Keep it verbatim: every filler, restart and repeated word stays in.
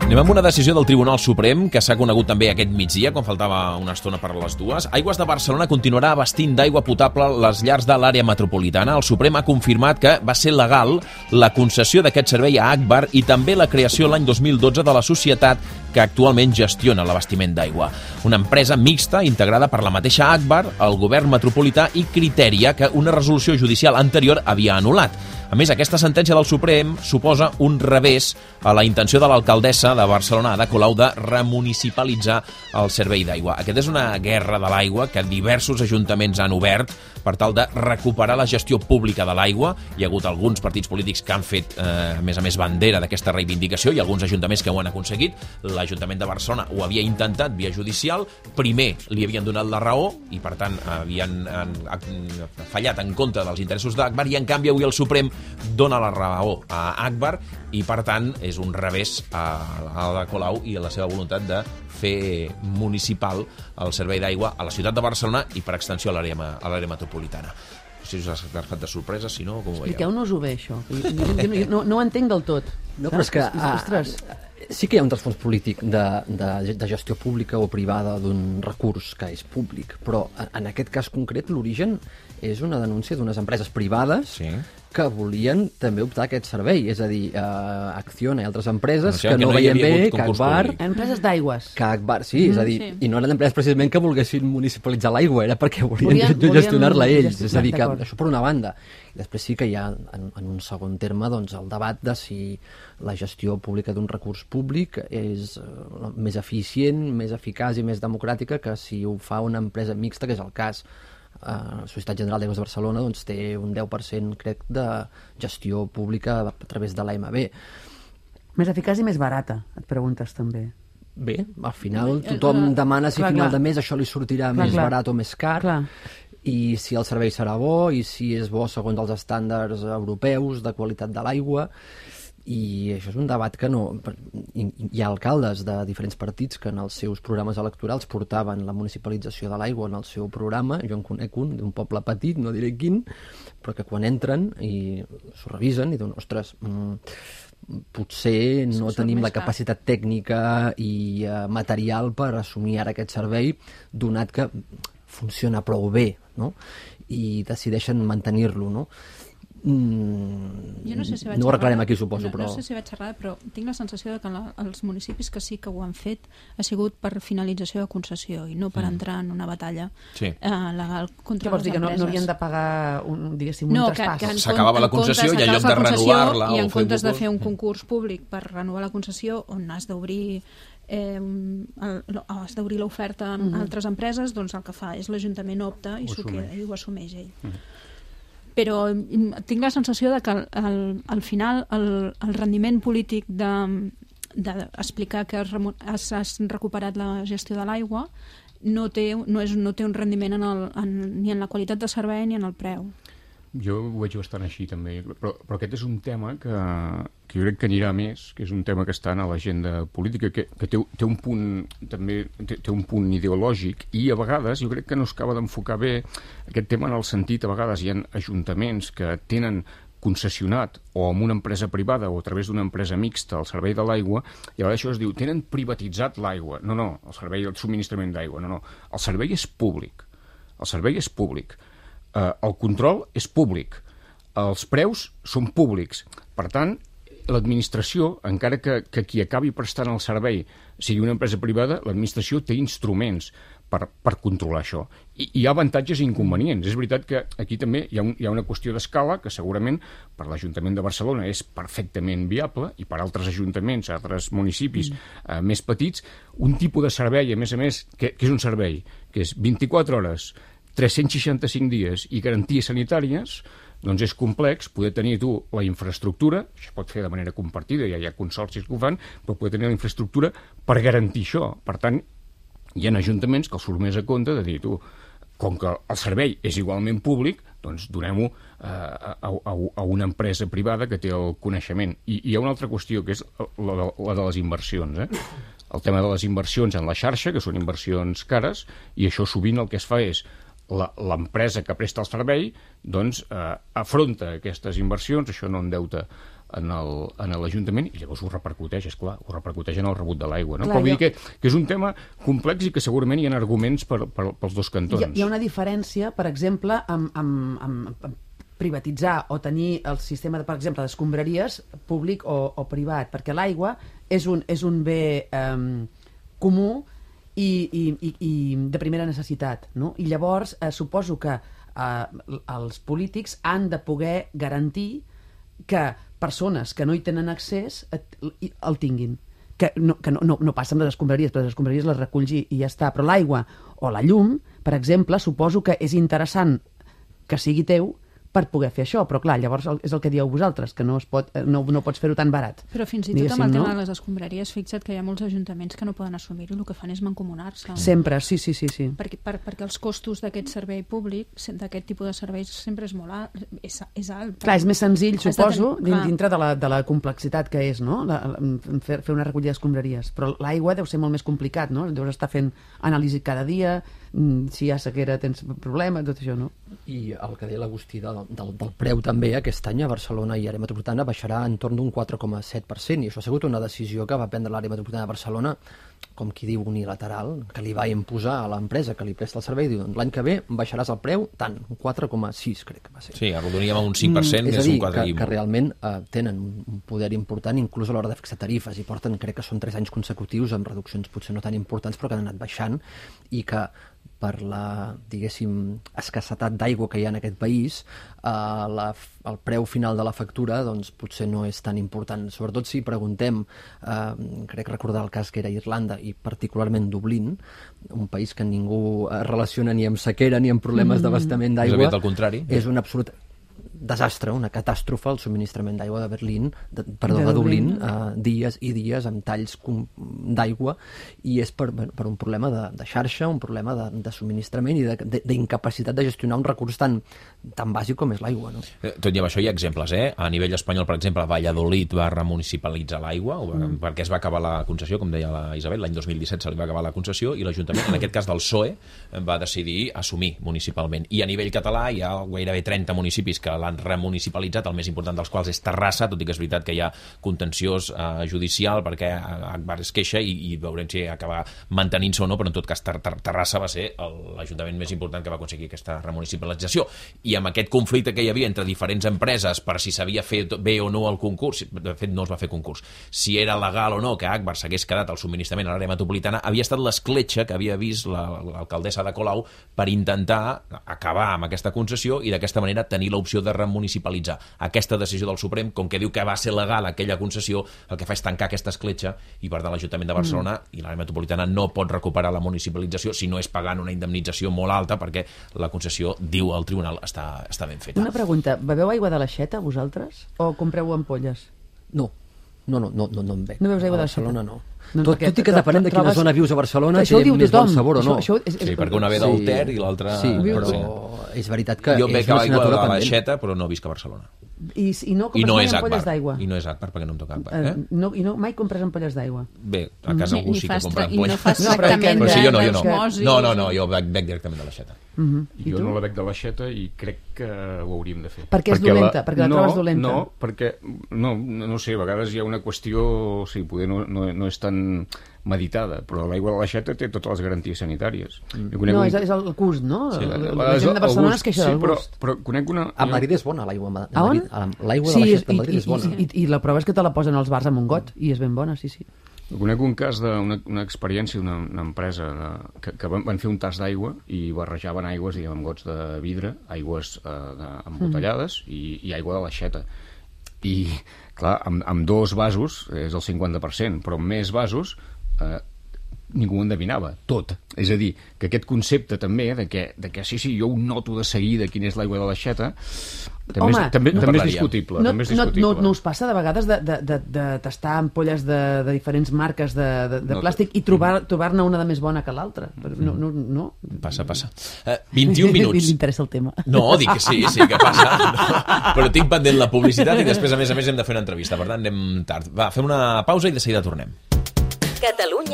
Anem amb una decisió del Tribunal Suprem que s'ha conegut també aquest migdia, quan faltava una estona per a les dues. Aigües de Barcelona continuarà abastint d'aigua potable les llars de l'àrea metropolitana. El Suprem ha confirmat que va ser legal la concessió d'aquest servei a Agbar i també la creació l'any dos mil dotze de la societat que actualment gestiona l'abastiment d'aigua. Una empresa mixta integrada per la mateixa Agbar, el govern metropolità i Criteria, que una resolució judicial anterior havia anul·lat. A més, aquesta sentència del Suprem suposa un revés a la intenció de l'alcaldessa de Barcelona, Ada Colau, de remunicipalitzar el servei d'aigua. Aquesta és una guerra de l'aigua que diversos ajuntaments han obert per tal de recuperar la gestió pública de l'aigua. Hi ha hagut alguns partits polítics que han fet, eh, a més a més, bandera d'aquesta reivindicació i alguns ajuntaments que ho han aconseguit. L'Ajuntament de Barcelona ho havia intentat via judicial. Primer li havien donat la raó i, per tant, havien han, han fallat en contra dels interessos d'Agbar i, en canvi, avui el Suprem dona la raó a Agbar i, per tant, és un revés a Ada Colau i a la seva voluntat de fer municipal el servei d'aigua a la ciutat de Barcelona i, per extensió, a l'àrea metropolitana. No sé si us ha agafat de sorpresa, si no, com ho veieu? Expliqueu-nos-ho bé, això. Jo, jo, jo no, no ho entenc del tot. No, però és que... Ostres. Sí que hi ha un trasfons polític de, de, de gestió pública o privada d'un recurs que és públic, però en aquest cas concret l'origen és una denúncia d'unes empreses privades sí. que volien també optar a aquest servei, és a dir, uh, Acciona i altres empreses no, que, que no, no veien bé que Agbar... Empreses d'aigües. Que Agbar, sí, mm, és a dir, sí. i no eren empreses precisament que volguessin municipalitzar l'aigua, era perquè volien, volien gestionar-la ells, és a dir, que això per una banda. I després sí que hi ha, en, en un segon terme, doncs, el debat de si la gestió pública d'un recurs públic és uh, més eficient, més eficaç i més democràtica que si ho fa una empresa mixta, que és el cas. Uh, la Societat General d'Aigües de Barcelona doncs, té un deu per cent, crec, de gestió pública a través de l'A M B. Més eficaç i més barata, et preguntes també. Bé, al final tothom demana si a final de mes això li sortirà clar, més clar. barat o més car, clar. i si el servei serà bo, i si és bo segons els estàndards europeus de qualitat de l'aigua. I això és un debat que no... Hi ha alcaldes de diferents partits que en els seus programes electorals portaven la municipalització de l'aigua en el seu programa. Jo en conec un d'un poble petit, no diré quin, però que quan entren i s'ho revisen i diuen, ostres, mmm, potser no tenim la capacitat tècnica i uh, material per assumir ara aquest servei, donat que funciona prou bé, no? I decideixen mantenir-lo, no? Mm, jo no sé si vaig no ho arreglarem aquí, suposo, no, però... No sé si vaig xerrada, però tinc la sensació de que la, els municipis que sí que ho han fet ha sigut per finalització de concessió i no per mm. entrar en una batalla sí. uh, legal contra vols les dir empreses. Que no, no havien de pagar un, diguéssim, un no, traspàs? Que, que s'acabava la concessió i en lloc de renovar-la... I en comptes de fer un concurs públic per renovar la concessió on has d'obrir Eh, el, has d'obrir l'oferta a mm-hmm. altres empreses, doncs el que fa és l'Ajuntament opta i s'ho queda i ho assumeix ell. Mm-hmm. Però tinc la sensació de que al, al, al final el, el rendiment polític d'explicar de, que has, has, has recuperat la gestió de l'aigua no té, no, és, no té un rendiment en el, en, ni en la qualitat de servei ni en el preu. Jo ho veig bastant així també, però, però aquest és un tema que, que jo crec que anirà més, que és un tema que està a l'agenda política, que, que té, té un punt també té, té un punt ideològic i a vegades jo crec que no es acaba d'enfocar bé aquest tema en el sentit, a vegades hi ha ajuntaments que tenen concessionat o amb una empresa privada o a través d'una empresa mixta el servei de l'aigua i a vegades això es diu, tenen privatitzat l'aigua. No, no, el servei, el subministrament d'aigua, no, no. El servei és públic. El servei és públic. Uh, el control és públic, els preus són públics, per tant l'administració, encara que, que qui acabi prestant el servei sigui una empresa privada, l'administració té instruments per, per controlar això, i hi ha avantatges i inconvenients. És veritat que aquí també hi ha, un, hi ha una qüestió d'escala que segurament per l'Ajuntament de Barcelona és perfectament viable i per altres ajuntaments, altres municipis mm. uh, més petits, un tipus de servei, a més a més, que, que és un servei que és vint-i-quatre hores tres-cents seixanta-cinc dies i garanties sanitàries, doncs és complex poder tenir tu la infraestructura, això es pot fer de manera compartida, ja hi ha consorcis que ho fan, però poder tenir la infraestructura per garantir això. Per tant, hi ha ajuntaments que els surt més a compte de dir, tu, com que el servei és igualment públic, doncs donem-ho eh, a, a, a una empresa privada que té el coneixement. I, i hi ha una altra qüestió, que és la de, la de les inversions, eh? El tema de les inversions en la xarxa, que són inversions cares, i això sovint el que es fa és l'empresa que presta el servei doncs, eh, afronta aquestes inversions, això no endeuta en l'Ajuntament, i llavors ho repercuteix, és clar, ho repercuteix en el rebut de l'aigua. No? Però vull jo... dir que, que és un tema complex i que segurament hi ha arguments per, per, pels dos cantons. Hi ha, hi ha una diferència, per exemple, amb, amb, amb, amb privatitzar o tenir el sistema, de, per exemple, d'escombraries públic o, o privat, perquè l'aigua és un, és un bé eh, comú i, i, i, i de primera necessitat, no? I llavors eh, suposo que eh, els polítics han de poder garantir que persones que no hi tenen accés el tinguin. Que no, que no, no, no passa amb les escombraries, però les escombraries les reculls i ja està. Però l'aigua o la llum, per exemple, suposo que és interessant que sigui teu per poder fer això, però clar, llavors és el que dieu vosaltres, que no, es pot, no, no pots fer-ho tan barat. Però fins i tot amb el tema de les escombraries, fixa't que hi ha molts ajuntaments que no poden assumir-ho, el que fan és mancomunar-se. Sempre, sí, sí, sí. sí. Perquè, per, perquè els costos d'aquest servei públic, d'aquest tipus de serveis, sempre és molt alt, és, és alt. Clar, és més senzill, suposo, tenir, dintre de la, de la complexitat que és, no?, la, la, fer, fer una recollida d'escombraries. Però l'aigua deu ser molt més complicat, no? Deus estar fent anàlisi cada dia, si hi ha sequera tens problema, tot això, no? I el que deia l'Agustí del, del, del preu també, aquest any a Barcelona i àrea metropolitana baixarà entorn d'un quatre coma set per cent, i això ha sigut una decisió que va prendre l'àrea metropolitana de Barcelona, com qui diu unilateral, que li va imposar a l'empresa que li presta el servei, diu, l'any que ve baixaràs el preu tant, un quatre coma sis crec que va ser. Sí, arrodoníem a un cinc per cent, mm, que és, és un quatre que, que realment eh, tenen un poder important inclús a l'hora de fixar tarifes, i porten, crec que són tres anys consecutius amb reduccions potser no tan importants però que han anat baixant, i que per la, diguéssim, escassetat d'aigua que hi ha en aquest país, eh, la, el preu final de la factura doncs, potser no és tan important. Sobretot si preguntem, eh, crec recordar el cas que era Irlanda i particularment Dublín, un país que ningú relaciona ni amb sequera ni amb problemes mm. d'abastament d'aigua. És el contrari. És un absolut desastre, una catàstrofe, el subministrament d'aigua de Berlín, de, perdó, de, de Dublín, uh, dies i dies amb talls d'aigua, i és per, per un problema de, de xarxa, un problema de, de subministrament i d'incapacitat de, de, de gestionar un recurs tan, tan bàsic com és l'aigua. No? Tot i amb això hi ha exemples, eh? A nivell espanyol, per exemple, Valladolid va remunicipalitzar l'aigua, mm. perquè es va acabar la concessió, com deia la Isabel, l'any dos mil disset se li va acabar la concessió, i l'Ajuntament, en aquest cas del P S O E, va decidir assumir municipalment. I a nivell català hi ha gairebé trenta municipis que l'han remunicipalitzat, el més important dels quals és Terrassa, tot i que és veritat que hi ha contenciós eh, judicial perquè Agbar es queixa i, i veurem si acaba mantenint-se o no, però en tot cas ter ter Terrassa va ser l'Ajuntament més important que va aconseguir aquesta remunicipalització. I amb aquest conflicte que hi havia entre diferents empreses per si s'havia fet bé o no el concurs, de fet no es va fer concurs, si era legal o no que Agbar s'hagués quedat el subministrament a l'àrea metropolitana, havia estat l'escletxa que havia vist l'alcaldessa de Colau per intentar acabar amb aquesta concessió i d'aquesta manera tenir l'opció de remunicipalitzar. Aquesta decisió del Suprem, com que diu que va ser legal aquella concessió, el que fa és tancar aquesta escletxa i per tant l'Ajuntament de Barcelona mm. i l'àrea metropolitana no pot recuperar la municipalització si no és pagant una indemnització molt alta perquè la concessió, diu el tribunal, està, està ben feta. Una pregunta, beveu aigua de l'aixeta vosaltres o compreu ampolles? No. No, no, no, no, no en bec. No veus aigua a de Barcelona, no. No, tot, tot i que depenent de quina zona vius a Barcelona té més bon sabor o no. Això, això és, és... Sí, perquè una ve del Ter i l'altra... Sí, però és veritat que jo és una assignatura pendent. Jo bec aigua de l'aixeta, però no visc a Barcelona. I, i no compres I no mai és ampolles d'aigua? I no és Agbar, perquè no em toca Agbar. Eh? Uh, no, I no, mai compres ampolles d'aigua? Bé, a casa algú sí que compra ampolles. I no fas tractament no, sí, jo no, jo no. d'osmosi. No, no, no, jo bec, bec directament de l'aixeta. Uh -huh. I jo tu? no la bec de l'aixeta i crec que ho hauríem de fer. Perquè és dolenta? Perquè la no, trobes dolenta? No, perquè, no, no sé, a vegades hi ha una qüestió, sí, poder no, no, no és tan meditada, però l'aigua de l'aixeta té totes les garanties sanitàries. Mm. No, és, és el gust, no? Sí, la, la, la gent de Barcelona es queixa sí, del però, gust. Però conec una... A Madrid és bona l'aigua de a Madrid. L'aigua sí, de l'aixeta de i, Madrid i, és bona. I, i, I la prova és que te la posen als bars amb un got, i és ben bona, sí, sí. Conec un cas d'una una experiència d'una empresa de, que, que van, van fer un tas d'aigua i barrejaven aigües, diguem, amb gots de vidre, aigües eh, embotellades mm. i, i aigua de l'aixeta. I, clar, amb, amb dos vasos és el cinquanta per cent, però amb més vasos eh, ningú ho endevinava, tot. És a dir, que aquest concepte també de que, de que sí, sí, jo ho noto de seguida quina és l'aigua de l'aixeta, també, Home, és, també, no també és discutible. No, també és discutible. No, no, no us passa de vegades de, de, de, de tastar ampolles de, de diferents marques de, de, de no, plàstic i trobar-ne trobar una de més bona que l'altra? No, no, no. Passa, passa. Uh, vint-i-un minuts. M'interessa el tema. No, dic que sí, sí que passa. No. Però tinc pendent la publicitat i després, a més a més, hem de fer una entrevista. Per tant, anem tard. Va, fem una pausa i de seguida tornem. Catalunya